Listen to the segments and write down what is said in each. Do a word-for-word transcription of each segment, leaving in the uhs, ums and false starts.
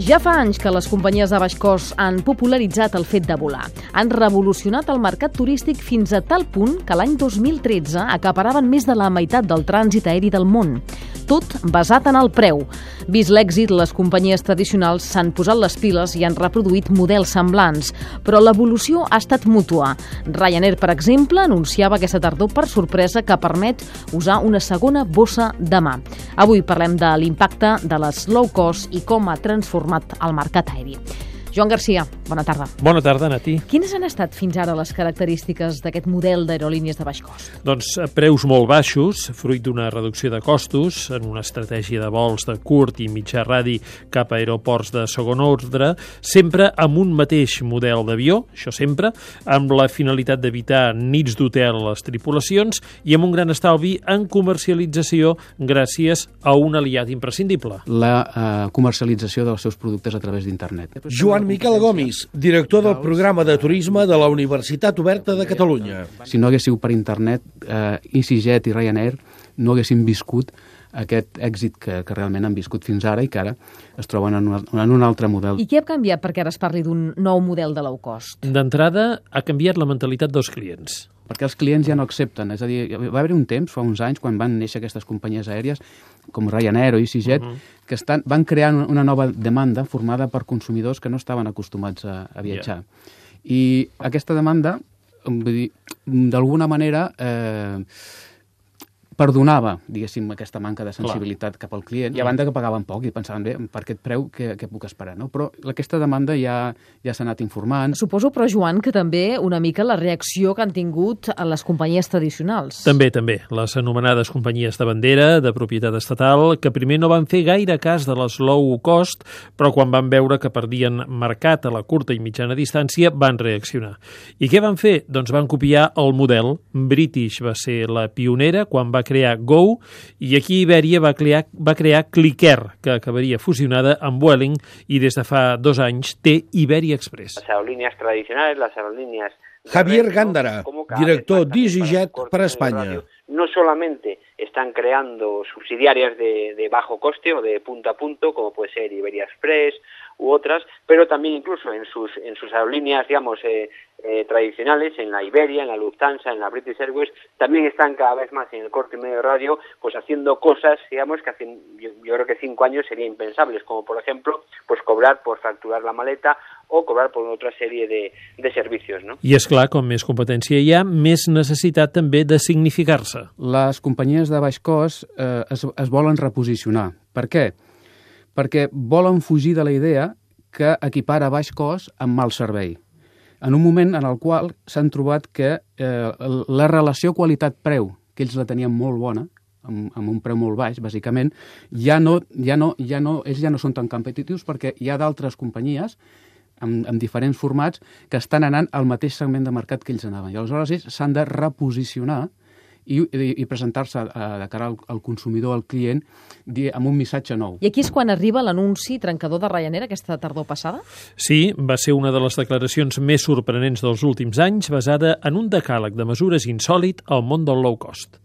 Ja fa anys que les companyies de baix cost han popularitzat el fet de volar. Han revolucionat el mercat turístic fins a tal punt que l'any dos mil tretze acaparaven més de la meitat del trànsit aeri del món. Tot basat en el preu. Vist l'èxit, les companyies tradicionals s'han posat les piles i han reproduït models semblants. Però l'evolució ha estat mútua. Ryanair, per exemple, anunciava aquesta tardor per sorpresa que permet usar una segona bossa de mà. Avui parlem de l'impacte de les low cost i com ha transformat al mercat aeri. Joan Garcia, bona tarda. Bona tarda, Nati. Quines han estat fins ara les característiques d'aquest model d'aerolínies de baix cost? Doncs preus molt baixos, fruit d'una reducció de costos, en una estratègia de vols de curt i mitjà radi cap a aeroports de segon ordre, sempre amb un mateix model d'avió, això sempre, amb la finalitat d'evitar nits d'hotel a les tripulacions i amb un gran estalvi en comercialització gràcies a un aliat imprescindible. La uh, comercialització dels seus productes a través d'internet. Joan Miquel Gomis, director del programa de turisme de la Universitat Oberta de Catalunya. Si no haguéssiu per internet, eh, EasyJet i Ryanair no haguessin viscut aquest èxit que, que realment han viscut fins ara i que ara es troben en, una, en un altre model. I què ha canviat perquè ara es parli d'un nou model de low cost? D'entrada, ha canviat la mentalitat dels clients. Perquè els clients ja no accepten. És a dir, va haver un temps, fa uns anys, quan van néixer aquestes companyies aèries, com Ryanair o EasyJet, uh -huh. que estan, van crear una nova demanda formada per consumidors que no estaven acostumats a, a viatjar. Yeah. I aquesta demanda, vull dir, d'alguna manera, eh, perdonava, diguéssim, aquesta manca de sensibilitat Clar. cap al client, i a banda que pagaven poc i pensaven, bé, per aquest preu, què, què puc esperar? No? Però aquesta demanda ja, ja s'ha anat informant. Suposo, però, Joan, que també una mica la reacció que han tingut a les companyies tradicionals. També, també. Les anomenades companyies de bandera, de propietat estatal, que primer no van fer gaire cas de les low cost, però quan van veure que perdien mercat a la curta i mitjana distància, van reaccionar. I què van fer? Doncs van copiar el model. British va ser la pionera quan va crear Go, i aquí Iberia va crear, va crear Clicker, que acabaria fusionada amb Vueling i des de fa dos anys té Iberia Express. Las aerolíneas tradicionales, las aerolíneas... Javier Gándara, director d'EasyJet para España. No solamente están creando subsidiarias de, de bajo coste o de punto a punto, como puede ser Iberia Express u otras, pero también incluso en sus en sus aerolíneas, digamos, eh, eh, tradicionales, en la Iberia, en la Lufthansa, en la British Airways, también están cada vez más en el corto y medio radio, pues haciendo cosas, digamos, que hace, yo, yo creo que cinco años serían impensables, como por ejemplo, pues cobrar por facturar la maleta o cobrar por otra serie de, de servicios, ¿no? I és clar, com més competència hi ha, més necessitat també de significar-se. Les companyies de baix cost eh, es, es volen reposicionar. Per què? Perquè volen fugir de la idea que equipara baix cost amb mal servei. En un moment en el qual s'han trobat que eh, la relació qualitat-preu, que ells la tenien molt bona, amb, amb un preu molt baix, bàsicament, ja no, ja no, ja no, ells ja no són tan competitius perquè hi ha d'altres companyies amb, amb diferents formats que estan anant al mateix segment de mercat que ells anaven. I aleshores ells s'han de reposicionar i, i, i presentar-se de cara al, al consumidor, al client, amb un missatge nou. I aquí és quan arriba l'anunci trencador de Ryanair aquesta tardor passada? Sí, va ser una de les declaracions més sorprenents dels últims anys, basada en un decàleg de mesures insòlit al món del low cost.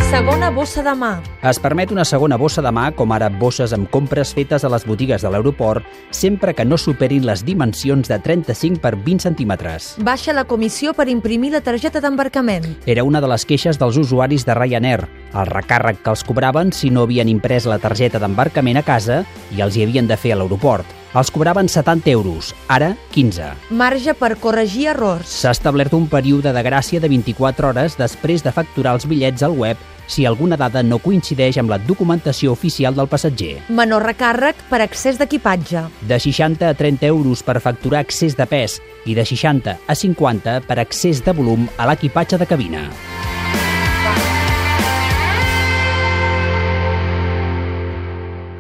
Segona bossa de mà. Es permet una segona bossa de mà, com ara bosses amb compres fetes a les botigues de l'aeroport, sempre que no superin les dimensions de trenta-cinc per vint centímetres. Baixa la comissió per imprimir la targeta d'embarcament. Era una de les queixes dels usuaris de Ryanair, el recàrrec que els cobraven si no havien imprès la targeta d'embarcament a casa i els hi havien de fer a l'aeroport. Els cobraven setanta euros, ara quinze. Marge per corregir errors. S'ha establert un període de gràcia de vint-i-quatre hores després de facturar els bitllets al web si alguna dada no coincideix amb la documentació oficial del passatger. Menor recàrrec per excés d'equipatge. De seixanta a trenta euros per facturar excés de pes i de seixanta a cinquanta per excés de volum a l'equipatge de cabina.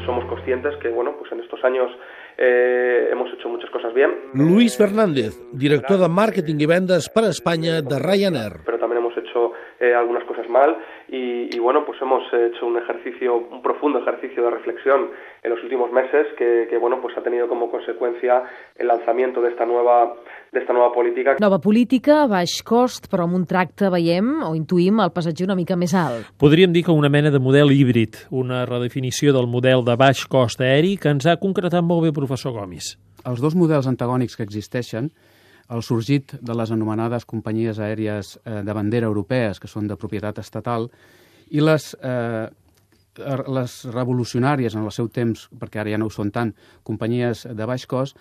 Somos conscientes que, bueno, pues en estos años Eh, hemos hecho muchas cosas bien. Luis Fernández, director de Màrqueting i Vendes per a Espanya de Ryanair. Pero también hemos hecho eh, algunas cosas mal y, y bueno, pues hemos hecho un ejercicio, un profundo ejercicio de reflexión en los últimos meses que, que bueno, pues ha tenido como consecuencia el lanzamiento de esta nueva de esta nova política. Nova política, baix cost, però amb un tracte, veiem, o intuïm, el passatger una mica més alt. Podríem dir que una mena de model híbrid, una redefinició del model de baix cost aeri que ens ha concretat molt bé el professor Gomis. Els dos models antagònics que existeixen, el sorgit de les anomenades companyies aèries de bandera europees, que són de propietat estatal, i les, eh, les revolucionàries en el seu temps, perquè ara ja no ho són tant, companyies de baix cost,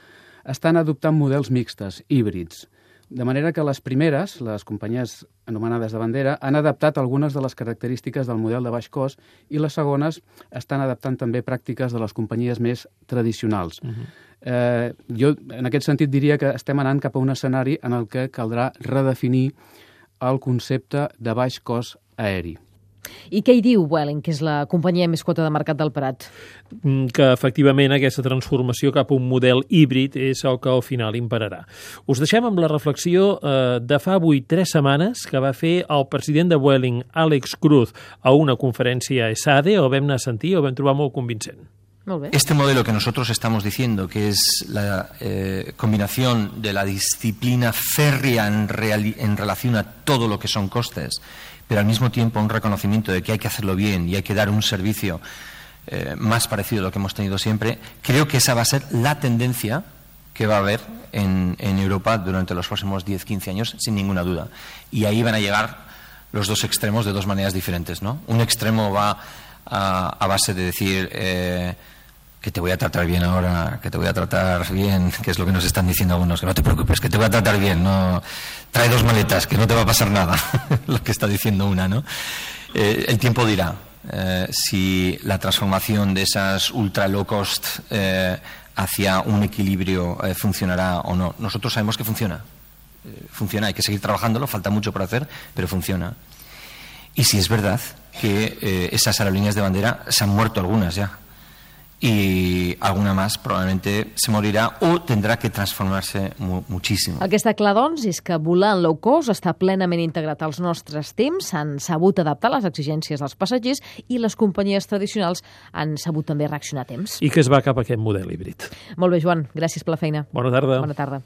estan adoptant models mixtes, híbrids. De manera que les primeres, les companyies anomenades de bandera, han adaptat algunes de les característiques del model de baix cost i les segones estan adaptant també pràctiques de les companyies més tradicionals. Uh-huh. eh, jo, en aquest sentit, diria que estem anant cap a un escenari en el que caldrà redefinir el concepte de baix cost aeri. I què hi diu Vueling, que és la companyia més quota de mercat del Prat? Que efectivament aquesta transformació cap a un model híbrid és el que al final imperarà. Us deixem amb la reflexió eh, de fa avui tres setmanes que va fer el president de Vueling, Àlex Cruz, a una conferència a ESADE, el vam anar a sentir i el vam trobar molt convincent. Este modelo que nosotros estamos diciendo, que es la eh, combinación de la disciplina férrea en, real, en relación a todo lo que son costes, pero al mismo tiempo un reconocimiento de que hay que hacerlo bien y hay que dar un servicio eh, más parecido a lo que hemos tenido siempre, creo que esa va a ser la tendencia que va a haber en, en Europa durante los próximos diez a quince años, sin ninguna duda. Y ahí van a llegar los dos extremos de dos maneras diferentes, ¿no? Un extremo va a, a base de decir... Eh, que te voy a tratar bien ahora, que te voy a tratar bien, que es lo que nos están diciendo algunos, que no te preocupes, que te voy a tratar bien, no trae dos maletas, que no te va a pasar nada, lo que está diciendo una, ¿no? Eh, el tiempo dirá eh, si la transformación de esas ultra low cost eh, hacia un equilibrio eh, funcionará o no. Nosotros sabemos que funciona, eh, funciona, hay que seguir trabajándolo, falta mucho por hacer, pero funciona. Y si es verdad que eh, esas aerolíneas de bandera se han muerto algunas ya, i alguna més probablement se morirà o tindrà que transformar-se moltíssim. El que està clar, doncs, és que volar en low cost està plenament integrat als nostres temps, s'han sabut adaptar a les exigències dels passatgers i les companyies tradicionals han sabut també reaccionar a temps. I que es va cap a aquest model híbrid. Molt bé, Joan, gràcies per la feina. Bona tarda. Bona tarda.